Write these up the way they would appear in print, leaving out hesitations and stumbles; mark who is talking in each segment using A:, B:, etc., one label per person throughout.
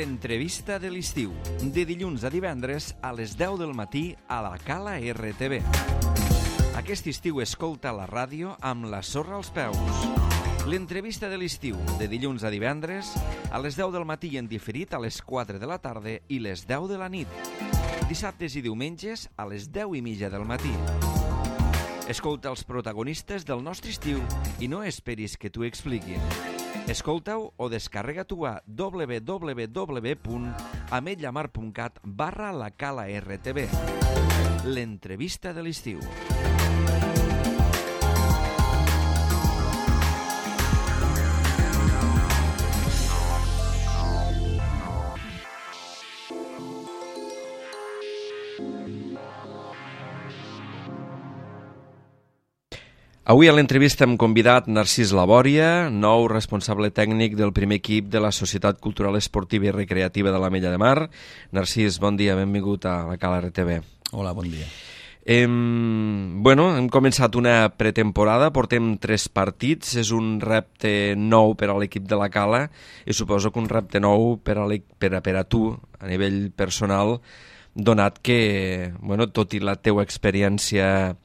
A: L'entrevista de l'estiu, de dilluns a divendres a les 10 del matí a la Cala RTV. Aquest estiu escolta la ràdio amb la sorra als peus. L'entrevista de l'estiu, de dilluns a divendres a les 10 del matí i en diferit a les 4 de la tarda i les 10 de la nit. Dissabtes i diumenges a les 10:30 del matí. Escolta els protagonistes del nostre estiu i no esperis que t'ho expliquin. Escolta-ho o descarrega-t'ho a www.ametlllamar.cat/la Cala RTV. L'entrevista de l'estiu. Avui a l'entrevista hem convidat Narcís Labòria, nou responsable tècnic del primer equip de la Societat Cultural Esportiva i Recreativa de l'Ametlla de Mar. Narcís, bon dia, benvingut a la Cala RTV.
B: Hola, bon dia.
A: Hem començat una pretemporada, portem 3 partits, és un repte nou per a l'equip de la Cala i suposo que un repte nou per a tu a nivell personal, donat que, tot i la teua experiència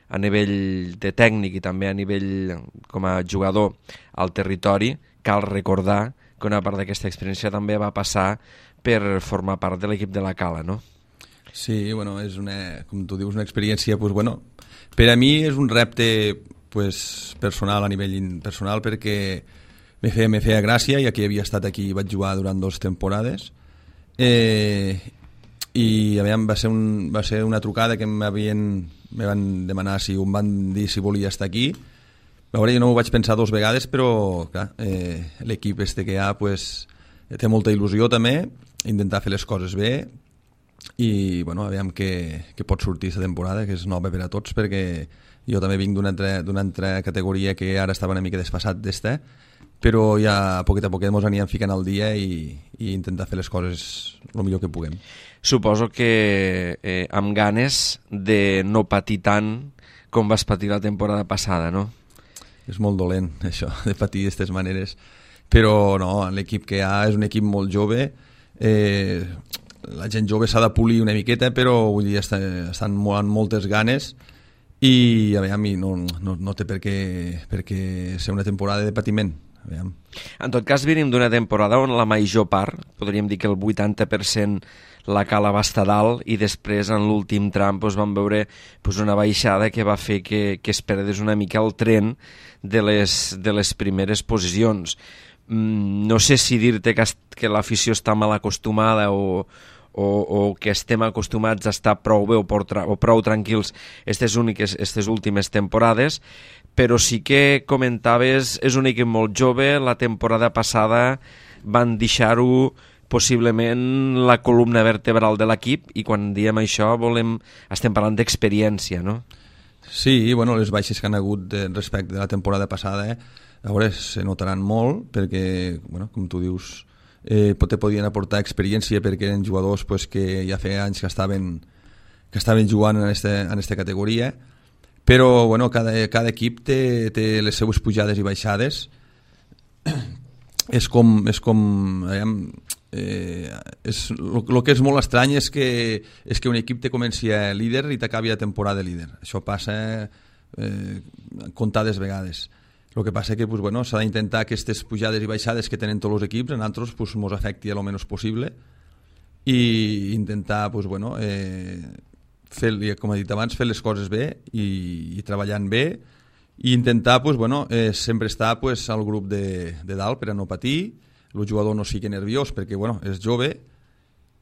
A: a nivell de tècnic i també a nivell com a jugador al territori, cal recordar que una part d'aquesta experiència també va passar per formar part de l'equip de la Cala, no?
B: Sí, és com tu dius, una experiència, per a mi és un repte personal, a nivell personal, perquè me feia gràcia, ja que havia estat aquí i vaig jugar durant 2 temporades, i va ser una trucada que me van demanar em van dir si volia estar aquí. A veure, jo no m'ho vaig pensar 2 vegades, però clar, l'equip que hi ha té molta il·lusió també, intentar fer les coses bé i aviam què pot sortir aquesta temporada, que és nova per a tots, perquè jo també vinc d'una altra categoria que ara estava una mica desfasat d'esta, però ja a poquet ens anirem ficant al dia i intentar fer les coses el millor que puguem.
A: Suposo que amb ganes de no patir tant com vas patir la temporada passada, no?
B: És molt dolent, això, de patir d'aquestes maneres. Però no, l'equip que hi ha és un equip molt jove. La gent jove s'ha de polir una miqueta, però vull dir, estan amb moltes ganes i no té per què ser una temporada de patiment. Aviam.
A: En tot cas, venim d'una temporada on la major part, podríem dir que el 80%, la Cala va estar dalt i després en l'últim tram vam veure una baixada que va fer que es perdés una mica el tren de les primeres posicions. No sé si dir-te que l'afició està mal acostumada o que estem acostumats a estar prou bé o prou tranquils aquestes últimes temporades, però sí que comentaves, és un equip molt jove, la temporada passada van deixar-ho possiblement la columna vertebral de l'equip i quan diem això estem parlant d'experiència, no?
B: Sí, les baixes que han hagut respecte de la temporada passada, a veure, se notaran molt perquè, com tu dius, podien aportar experiència perquè eren jugadors que ja feia anys que estaven jugant en aquesta categoria, però cada equip té les seues pujades i baixades. El que és molt estrany és que un equip te comenci a líder i t'acabi a temporada de líder. Això passa comptades vegades. El que passa que s'ha d'intentar aquestes pujades i baixades que tenen tots els equips, en altres ens afecti el menys possible i intentar com he dit abans, fer les coses bé i treballant bé i intentar sempre estar al grup de dalt per a no patir, el jugador no sigui nerviós perquè és jove,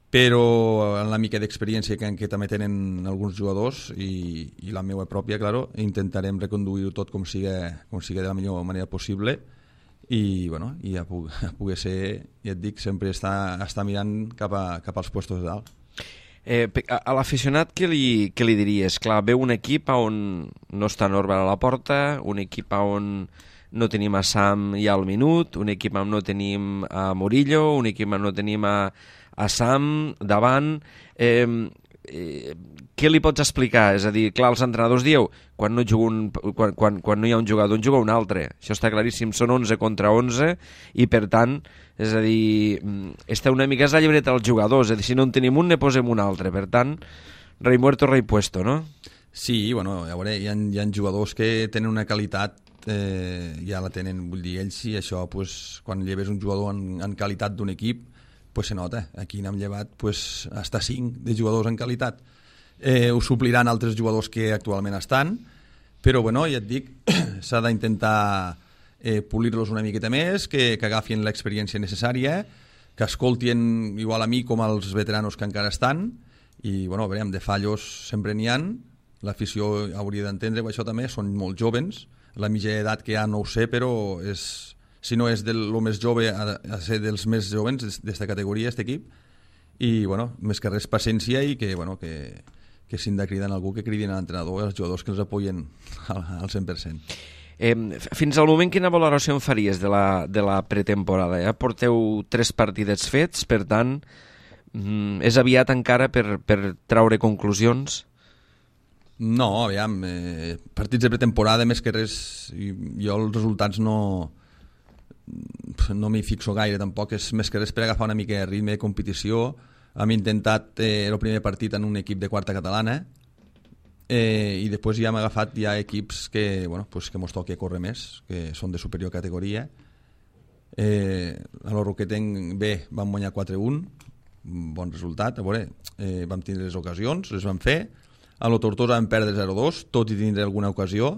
B: però en la mica d'experiència que també tenen alguns jugadors i la meva pròpia, intentarem reconduir-ho tot com sigui de la millor manera possible i ja pugui ser, ja et dic, sempre estar mirant cap als puestos de dalt.
A: A l'aficionat què li diries? Clar, veu un equip on no està Norman a la porta, un equip on no tenim a Sam ja al minut, un equip on no tenim a Murillo, un equip on no tenim a Sam davant. què li pots explicar? És a dir, clar, els entrenadors dieu quan no hi ha un jugador en juga un altre, això està claríssim, són 11 contra 11 i per tant, és a dir, està una mica és la llibreta dels jugadors, és a dir, si no en tenim un ne posem un altre, per tant, rei muerto, rei puesto, no?
B: Sí, bueno, a veure, hi ha jugadors que tenen una qualitat, ja la tenen, vull dir, ells i això, pues, quan lleves un jugador en qualitat d'un equip, pues se nota, aquí n'hem llevat pues, hasta 5 de jugadors en qualitat. Ho supliran altres jugadors que actualment estan, però bueno, ja et dic, s'ha d'intentar polir-los una miqueta més, que agafin l'experiència necessària, que escoltin igual a mi com als veteranos que encara estan, i bueno, veurem, de fallos sempre n'hi ha, l'afició hauria d'entendre això també, són molt jovens, la mitja edat que hi ha no ho sé, però si no és del més jove, a ser dels més jovens d'esta categoria, aquest equip, i bueno, més que res paciència i que, bueno, que si han de cridar algú que cridin a l'entrenador, els jugadors que els apoyen al 100%.
A: Fins al moment quina valoració en faries de la pretemporada? Ja porteu 3 partidets fets, per tant és aviat encara per traure conclusions?
B: No, aviam, partits de pretemporada més que res, jo els resultats no m'hi fixo gaire tampoc, és més que res per agafar una mica de ritme de competició. Hem intentat el primer partit en un equip de quarta catalana i després ja hem agafat ja equips que, bueno, pues que mos toqui córrer més, que són de superior categoria. A l'Oroquetenc B vam guanyar 4-1, bon resultat, a veure, vam tindre les ocasions, les vam fer. A la Tortosa vam perdre 0-2, tot i tindre alguna ocasió,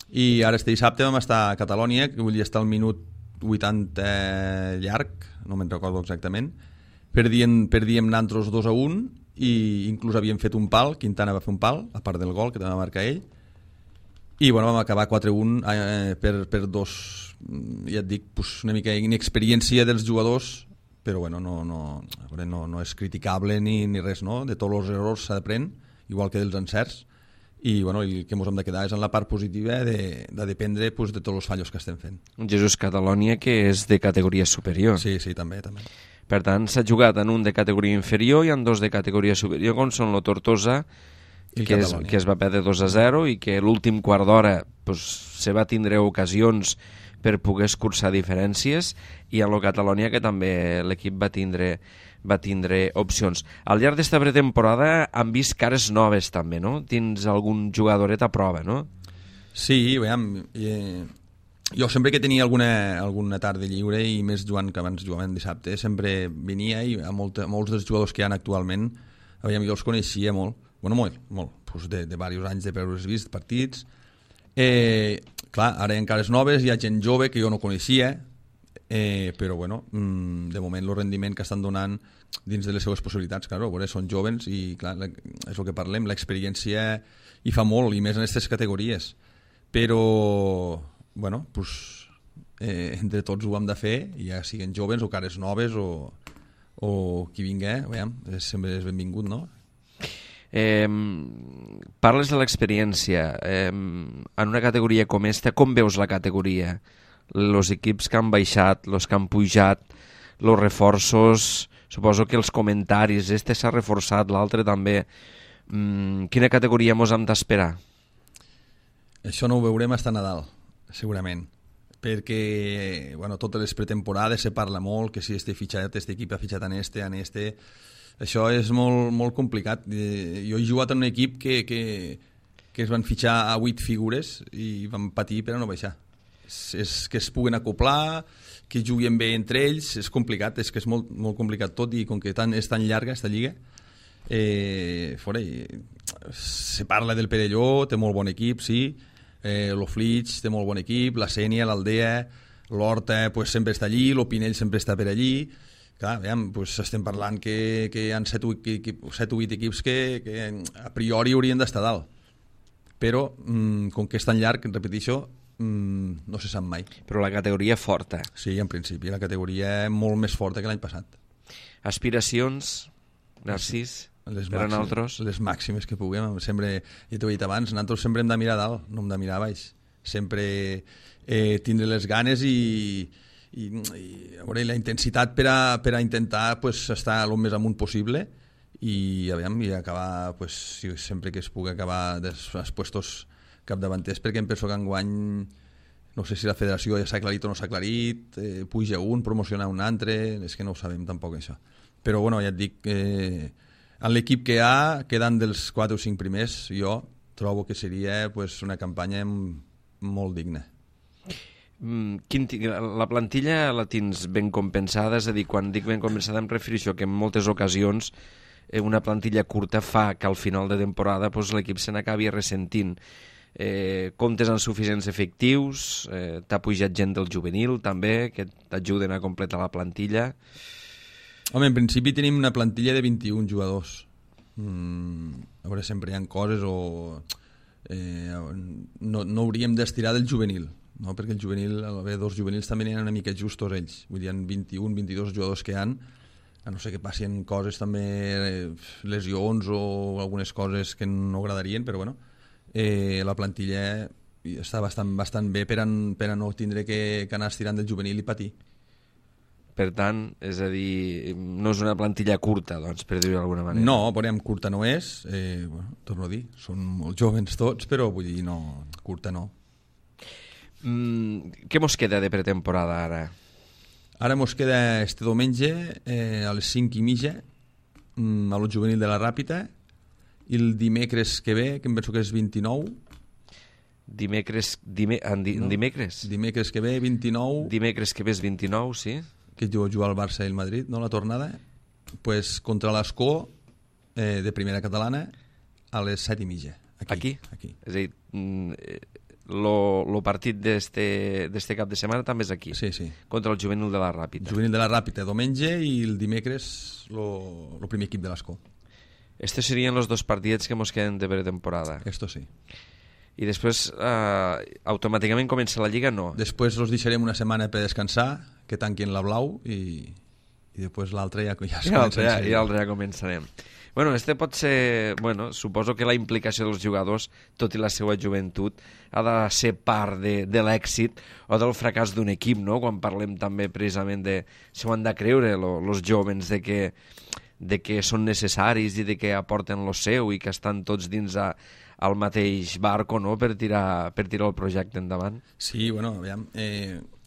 B: i ara este dissabte vam estar a Catalònia, que vull dir estar al minut 80 llarg, no me'n recordo exactament, perdíem nosaltres 2-1 i inclús havíem fet un pal, Quintana va fer un pal, a part del gol que també va marcar ell, i bueno, vam acabar 4-1 per dos, ja et dic, pues una mica inexperiència dels jugadors, però bueno, no és criticable ni res, no? De tots els errors s'aprèn, igual que dels encerts, i bueno, el que ens hem de quedar és en la part positiva de dependre pues, de tots els fallos que estem fent.
A: Jesús, Catalònia, que és de categoria superior.
B: Sí, també.
A: Per tant, s'ha jugat en un de categoria inferior i en 2 de categoria superior, com són la Tortosa, que es va perdre 2-0 i que l'últim quart d'hora pues, se va tindre ocasions per poder escurçar diferències, i en la Catalònia, que també l'equip va tindre opcions. Al llarg d'esta pretemporada han vist cares noves també, no? Tens algun jugadoret a prova, no?
B: Sí, veiem, jo sempre que tenia alguna tarda lliure, i més jugant que abans jugaven dissabte, sempre venia, i a molts dels jugadors que hi ha actualment, jo els coneixia molt, pues de diversos anys d'haver-los vist partits. Clar, ara hi ha cares noves, hi ha gent jove que jo no coneixia, però bueno, de moment el rendiment que estan donant dins de les seves possibilitats, clar, són jovens i clar, és el que parlem, l'experiència hi fa molt, i més en aquestes categories, però bueno, pues, entre tots ho hem de fer, ja siguin jovens o cares noves o qui vingui, sempre és benvingut, no?
A: Parles de l'experiència, en una categoria com esta, com veus la categoria? Els equips que han baixat, els que han pujat, els reforços, suposo que els comentaris, este s'ha reforçat, l'altre també. Quina categoria mos hem d'esperar?
B: Això no ho veurem fins a Nadal, segurament, perquè bueno, totes les pretemporades se parla molt que si este fitxat, este equip ha fitxat en este, això és molt complicat. Jo he jugat en un equip que es van fitxar a 8 figures i van patir per a no baixar. És que es puguen acoplar, que juguin bé entre ells, és complicat, és que és molt complicat tot, i com que és tan llarga esta lliga, se parla del Perelló, té molt bon equip, sí, l'Oflix té molt bon equip, la Sénia, l'Aldea, l'Horta pues, sempre està allí, l'Opinell sempre està per allí. Clar, pues, estem parlant que hi ha 7 o 8 equips que a priori haurien d'estar dalt, però com que és tan llarg, repeteixo, no se sap mai.
A: Però la categoria forta.
B: Sí, en principi, la categoria molt més forta que l'any passat.
A: Aspiracions, Narcís, per a nosaltres?
B: Les màximes que puguem. Sempre, ja t'ho he dit abans, nosaltres sempre hem de mirar dalt, no hem de mirar baix. Sempre tindre les ganes i a veure, la intensitat per a intentar pues, estar el més amunt possible, i aviam, i acabar, pues, sempre que es pugui acabar dels puestos capdavanters, perquè em penso que enguany no sé si la federació ja s'ha aclarit o no s'ha aclarit, puja un, promociona un altre, és que no ho sabem tampoc això. Però bueno, ja et dic, en l'equip que hi ha, quedant dels 4 o 5 primers, jo trobo que seria pues, una campanya molt digna.
A: La plantilla la tens ben compensada, és a dir, quan dic ben compensada em refereixo que en moltes ocasions una plantilla curta fa que al final de temporada pues, l'equip se n'acabi ressentint. Comptes amb suficients efectius, t'ha pujat gent del juvenil també, que t'ajuden a completar la plantilla.
B: Home, en principi tenim una plantilla de 21 jugadors. A veure, sempre hi ha coses o... no hauríem d'estirar del juvenil, no? Perquè el juvenil, al haver 2 juvenils també n'hi ha una mica justos ells, vull dir, hi ha 21, 22 jugadors que hi ha, a no ser que passin coses també, lesions o algunes coses que no agradarien, però bueno, la plantilla està bastant bé per a no tindre que anar estirant del juvenil i patir.
A: Per tant, és a dir, no és una plantilla curta, doncs, per dir-ho d'alguna manera.
B: No, veurem, curta no és, bueno, torno a dir, són molt joves tots, però vull dir, no, curta no.
A: Què mos queda de pretemporada ara?
B: Ara mos queda este diumenge a les 5:30 a lo juvenil de la Ràpita, i el dimecres que ve, que em penso que és 29...
A: Dimecres que ve,
B: 29...
A: Dimecres que ve és 29, sí.
B: Que juga al Barça i el Madrid, no, la tornada, pues contra l'Escó de primera catalana a les 7:30. Aquí?
A: És a dir, el partit d'este cap de setmana també és aquí.
B: Sí, sí.
A: Contra el juvenil de la Ràpita.
B: El juvenil de la Ràpita, diumenge, i el dimecres el primer equip de l'Escó.
A: Estos serien els 2 partits que mos queden de pretemporada.
B: Esto sí.
A: I després automàticament comença la Lliga, no?
B: Després els deixarem una setmana per descansar, que tanquin la blau, i després l'altre ja
A: començarem. Bueno, este pot ser... Bueno, suposo que la implicació dels jugadors, tot i la seva joventut, ha de ser part de l'èxit o del fracàs d'un equip, no? Quan parlem també precisament de... Si ho han de creure, els jóvens, de que són necessaris i de que aporten lo seu i que estan tots dins al mateix barco, no?, per tirar el projecte endavant.
B: Sí, bueno, aviam...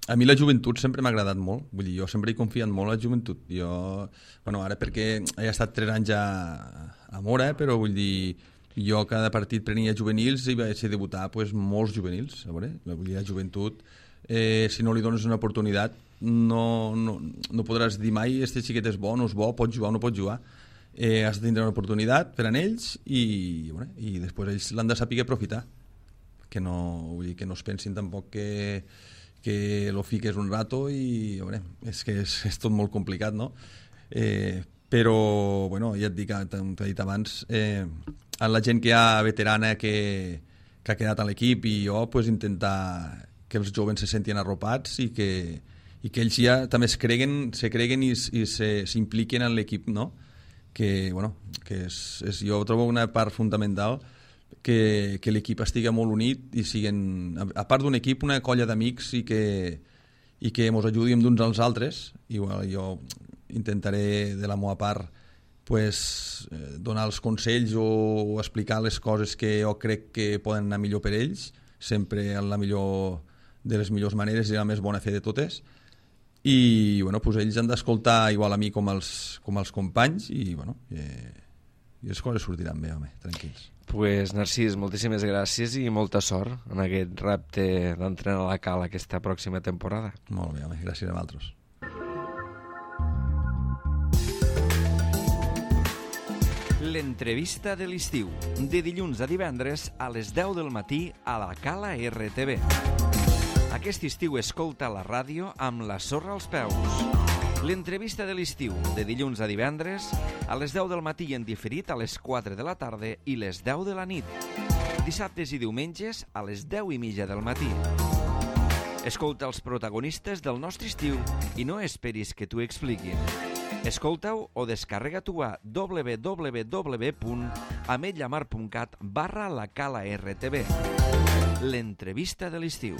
B: A mi la joventut sempre m'ha agradat molt, vull dir, jo sempre he confiat molt en la joventut. Jo, bueno, ara perquè he estat 3 anys a Mora, però vull dir, jo cada partit prenia juvenils i vaig debutar pues, molts juvenils, a veure, vull dir, la joventut, si no li dones una oportunitat, no podràs dir mai este xiquet és bo, no és bo, pot jugar o no pot jugar. Has de tindre una oportunitat per a ells i després ells l'han de saber aprofitar, que no es pensin tampoc que lo fiques un rato i veure, és que és tot molt complicat, no? Però bueno, ja et dic, t'he dit abans, la gent que hi ha veterana que ha quedat a l'equip i jo pues, intentar que els joves se sentin arropats i que ells ja també se creguen i s'impliquen en l'equip, no? Que, bueno, jo trobo una part fundamental que l'equip estigui molt unit i siguin, a part d'un equip, una colla d'amics i que ens ajudin d'uns als altres. Igual jo intentaré de la meva part pues, donar els consells o explicar les coses que jo crec que poden anar millor per ells, sempre en la millor de les millors maneres i la més bona fe de totes. I bueno, pues ells han d'escoltar igual a mi com els companys i bueno, i les coses sortiran bé, home, tranquils.
A: Pues Narcís, moltíssimes gràcies i molta sort en aquest repte d'entrenar a la Cala aquesta pròxima temporada.
B: Molt bé, home, gràcies a vosaltres.
C: L'entrevista de l'estiu, de dilluns a divendres a les 10 del matí a la Cala RTV. Aquest estiu escolta la ràdio amb la sorra als peus. L'entrevista de l'estiu, de dilluns a divendres, a les 10 del matí en diferit a les 4 de la tarda i les 10 de la nit. Dissabtes i diumenges a les 10:30 del matí. Escolta els protagonistes del nostre estiu i no esperis que t'ho expliquin. Escolta-ho o descarrega-t'ho a www.ametlllamar.cat/la Cala RTV. L'entrevista de l'estiu.